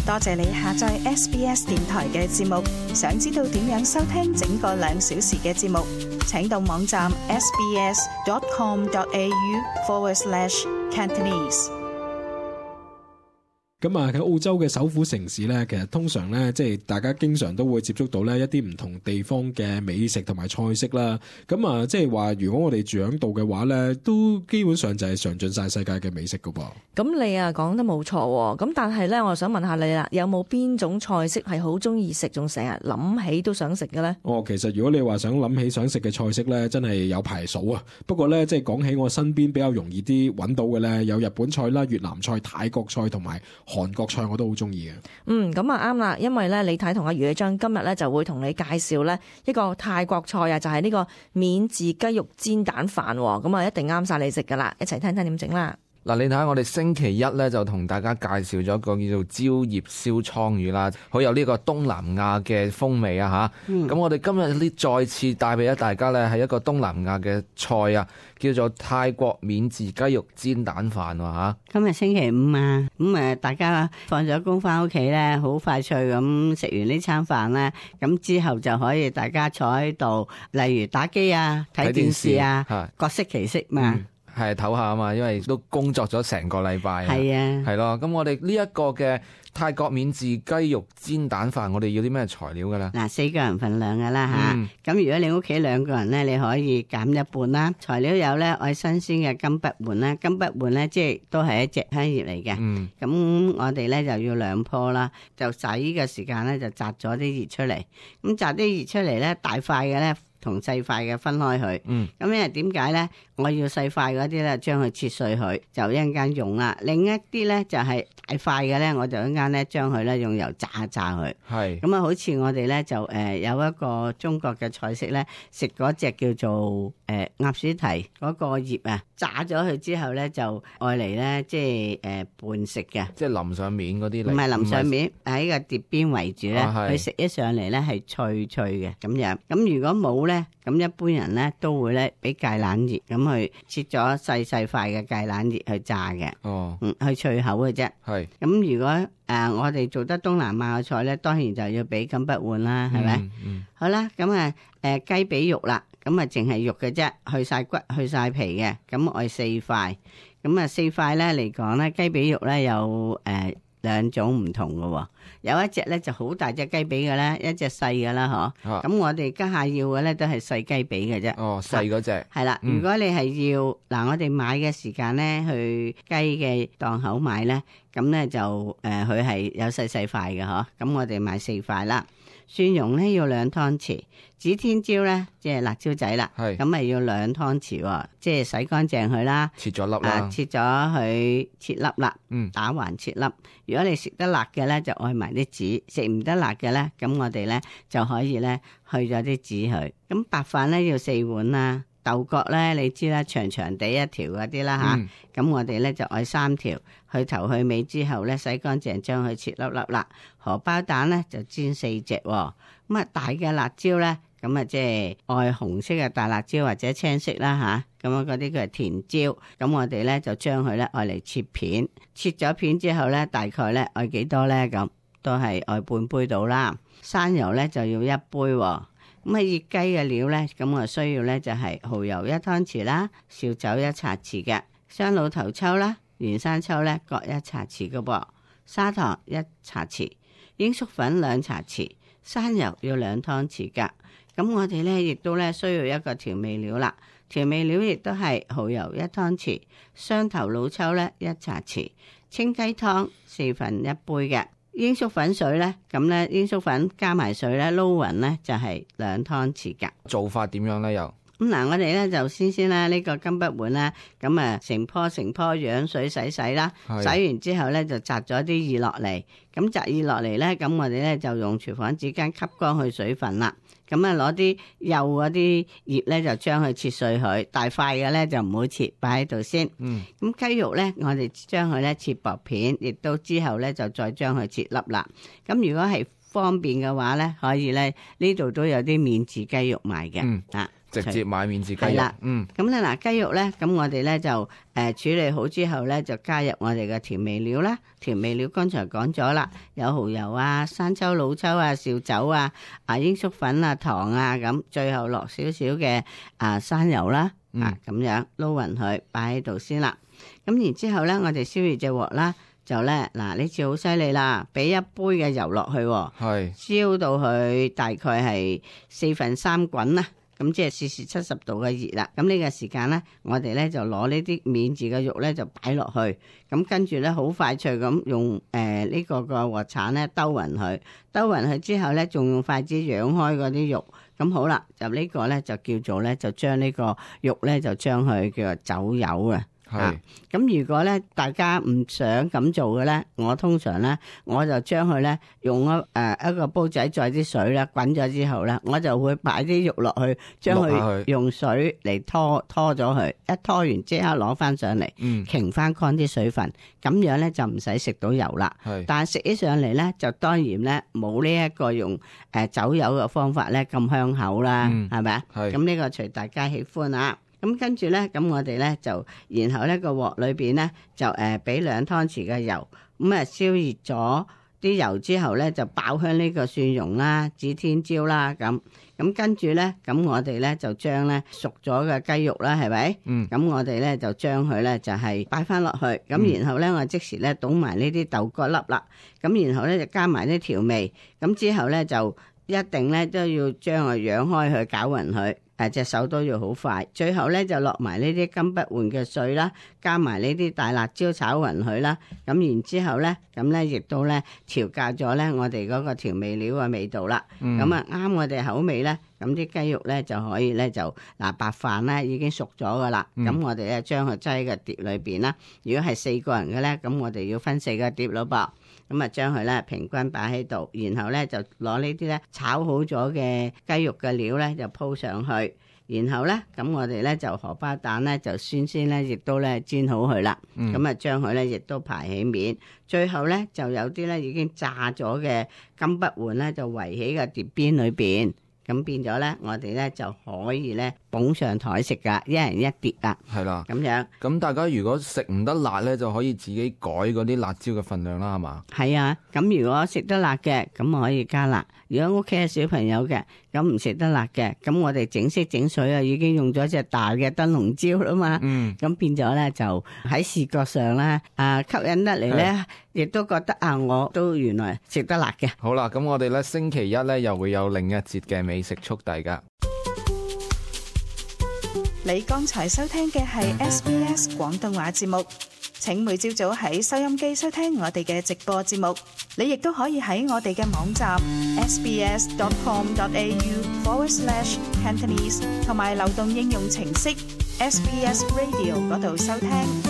多謝你下載 SBS 電台嘅節目。想知道點樣收聽整個2小時嘅節目，請到網站 sbs.com.au/Cantonese。咁啊，喺澳洲嘅首府城市咧，其實通常咧，即係大家經常都會接觸到咧一啲唔同地方嘅美食同埋菜式啦。咁啊，即係話如果我哋住喺度嘅話咧，都基本上就係嘗盡晒世界嘅美食噶噃。咁你啊講得冇錯喎。咁但係咧，我想問下你啦，有冇邊種菜式係好中意食，仲成日諗起都想食嘅咧？哦，其實如果你話想諗起想食嘅菜式咧，真係有排數啊。不過咧，即係講起我身邊比較容易啲揾到嘅咧，有日本菜啦、越南菜、泰國菜同埋韓國菜我都好中意嘅。咁啊啱啦，因為咧李太同阿余記章今日咧就會同你介紹咧一個泰國菜啊，就係呢個免治雞肉煎蛋飯，咁啊一定啱晒你食噶啦，一齊聽聽點整啦。嗱，你睇下我哋星期一咧就同大家介紹咗一個叫做蕉葉燒倉魚啦，好有呢個東南亞嘅風味啊吓。咁我哋今日呢再次帶俾咗大家咧係一個東南亞嘅菜啊，叫做泰國免治雞肉煎蛋飯吓。今日星期五啊，咁大家放咗工翻屋企咧，好快脆咁食完呢餐飯咧，咁之後就可以大家坐喺度，例如打機啊、睇電視啊，各適其適嘛。係唞下啊嘛，因為都工作咗成個禮拜。係啊，係咯。咁我哋呢一個嘅泰國免治雞肉煎蛋飯，我哋要啲咩材料噶啦？嗱，4個人份量噶啦吓。咁如果你屋企2個人咧，你可以減一半啦。材料有咧，愛新鮮嘅金筆換啦，金筆換咧即係都係一隻香葉嚟嘅。咁我哋咧就要2棵啦，就洗嘅時間咧就摘咗啲葉出嚟。咁摘啲葉出嚟咧，大塊嘅咧同細塊嘅分開佢。咁因為點解咧？我要細塊嗰啲咧，將佢切碎佢，就一陣間用啦。另一啲咧就係大塊嘅咧，我就一陣間咧將佢咧用油炸一炸佢。係咁啊，好似我哋咧就有一個中國嘅菜式咧，食嗰隻叫做鴨屎蹄嗰個葉啊，炸咗佢之後咧就愛嚟咧即係拌食嘅，即係淋上面嗰啲嚟。唔係淋上面，喺個碟邊圍住咧，佢食一上嚟咧係脆脆嘅咁樣。咁如果冇咧，咁一般人咧都會咧俾芥蘭葉咁去切咗細細塊嘅芥蘭葉去炸嘅。去脆口嘅啫。係咁如果我哋做得東南亞嘅菜咧，當然就要俾金筆換啦，係咪？好啦，咁雞髀肉啦，咁啊淨係肉嘅啫，去晒骨去晒皮嘅，咁我4塊，咁啊4塊咧嚟講咧，雞髀肉咧有2種唔同嘅，有一隻咧就好大隻雞髀嘅啦，一隻細嘅啦，嗬。咁我哋家下要嘅咧都係細雞髀嘅啫。哦，細嗰隻。係啦，如果你係要我哋買嘅時間咧，去雞嘅檔口買咧，咁咧就佢係有細細塊嘅，嗬。咁我哋買4塊啦。蒜蓉咧要2湯匙，指天椒咧即係辣椒仔啦，咁咪要2湯匙，即係洗乾淨佢啦，切咗粒啦，切咗佢切粒啦，打橫切粒。如果你食得辣嘅咧，就愛埋啲籽；食唔得辣嘅咧，咁我哋咧就可以咧去咗啲籽佢。咁白飯咧要4碗啦，豆角咧你知啦，長長地一條嗰啲啦吓，咁我哋咧就愛3條，去頭去尾之後咧洗乾淨，將佢切粒粒啦。荷包蛋咧就煎4隻，咁啊大嘅辣椒咧，咁啊即係愛紅色嘅大辣椒或者青色啦吓，咁啊嗰啲叫係甜椒，咁我哋咧就將佢咧愛嚟切片，切咗片之後咧大概咧愛幾多咧，咁都係愛半杯到啦。生油咧就要1杯，咁啊熱雞嘅料咧，咁我需要咧就係蠔油1湯匙啦，紹酒1茶匙嘅，雙老頭抽啦，原生抽咧各1茶匙嘅噃，砂糖1茶匙，鷹粟粉2茶匙，生油要2湯匙噶。咁我哋咧亦都咧需要一個調味料啦，調味料亦都係蠔油1湯匙，雙頭老抽咧1茶匙，清雞湯1/4杯嘅，鷹粟粉水咧，咁咧鷹粟粉加埋水咧撈勻咧就係2湯匙噶。做法點樣咧又？咁嗱，我哋咧就先啦，呢個金筆碗啦，咁啊成棵舀水洗啦，洗完之後咧就摘咗啲葉落嚟，咁摘葉落嚟咧，咁我哋咧就用廚房紙巾吸乾去水分啦，咁啊攞啲幼嗰啲葉咧就將佢切碎佢，大塊嘅咧就唔好切，擺喺度先。咁雞肉咧，我哋將佢咧切薄片，亦都之後咧就再將佢切粒啦。咁如果係方便嘅話咧，可以咧呢度都有啲免治雞肉賣嘅。直接買免治雞肉。係啦，咁咧嗱，雞肉咧，咁我哋咧就處理好之後咧，就加入我哋嘅調味料啦。調味料剛才講咗啦，有蠔油啊、生抽、老抽啊、紹酒啊、鷹粟粉啊、糖啊，咁最後落少少嘅生油啦，咁樣撈勻佢，擺喺度先啦。咁然之後咧，我哋燒熱隻鑊啦。就咧嗱，呢次好犀利啦，俾一杯嘅油落去，係燒到佢大概係3/4滾啦，咁即係攝氏70度嘅熱啦。咁呢個時間咧，我哋咧就攞呢啲免治嘅肉咧就擺落去，咁跟住咧好快脆咁用呢個鑊鏟咧兜勻佢，兜勻佢之後咧，仲用筷子揚開嗰啲肉，咁好啦，就呢個咧就叫做咧就將呢個肉咧就將佢叫做走油啊。咁如果咧大家唔想咁做嘅咧，我通常咧我就將佢咧用一個煲仔載啲水咧滾咗之後咧，我就會擺啲肉落去，將佢用水嚟拖咗佢，一拖完即刻攞翻上嚟，擎翻乾啲水分，咁樣咧就唔使食到油啦。但係食起上嚟咧就當然咧冇呢一個用走油嘅方法咧咁香口啦，係咪啊？咁呢個隨大家喜歡啊。咁跟住咧，咁我哋咧就，然後咧個鑊裏邊咧就俾2湯匙嘅油，咁燒熱咗啲油之後咧就爆香呢個蒜蓉啦、指天椒啦，咁跟住咧，咁我哋咧就將咧熟咗嘅雞肉啦，係咪？咁我哋咧就將佢咧就係擺翻落去，咁然後咧我即時咧倒埋呢啲豆角粒啦，咁然後咧就加埋啲調味，咁之後咧就一定咧都要將佢揚開去攪勻佢。隻手都要好快，最後咧就落埋呢啲金不換嘅碎啦，加埋呢啲大辣椒炒勻佢啦，咁然之後咧，咁咧亦都咧調校咗咧我哋嗰個調味料嘅味道啦，咁啱我哋口味咧，咁啲雞肉咧就可以咧就白飯咧已經熟咗噶啦，咁我哋咧將佢擠喺個碟裏邊啦。如果係4個人嘅咧，咁我哋要分4個碟咯噃。咁將佢咧平均擺喺度，然後咧就攞呢啲咧炒好咗嘅雞肉嘅料咧就鋪上去，然後咧咁我哋咧就荷包蛋咧就先咧亦都咧煎好佢啦，咁將佢咧亦都排起面，最後咧就有啲咧已經炸咗嘅金不換咧就圍喺個碟邊裏邊。咁變咗咧，我哋咧就可以咧捧上台食噶，一人一碟啦。係啦，咁樣。咁大家如果食唔得辣咧，就可以自己改嗰啲辣椒嘅份量啦，係嘛？係啊，咁如果食得辣嘅，咁可以加辣；如果屋企係小朋友嘅，咁唔食得辣嘅，咁我哋整色整水啊，已經用咗隻大嘅燈籠椒啦嘛。咁變咗咧就喺視覺上咧，吸引得嚟咧，亦都覺得我都原來食得辣嘅。好啦，咁我哋咧星期一咧又會有另一節嘅美食速遞噶。你剛才收聽嘅係 SBS 廣東話節目，請每朝早喺收音機收聽我哋嘅直播節目。你亦都可以喺我哋嘅網站 sbs.com.au/Cantonese 同埋流動應用程式 SBS Radio 嗰度收聽。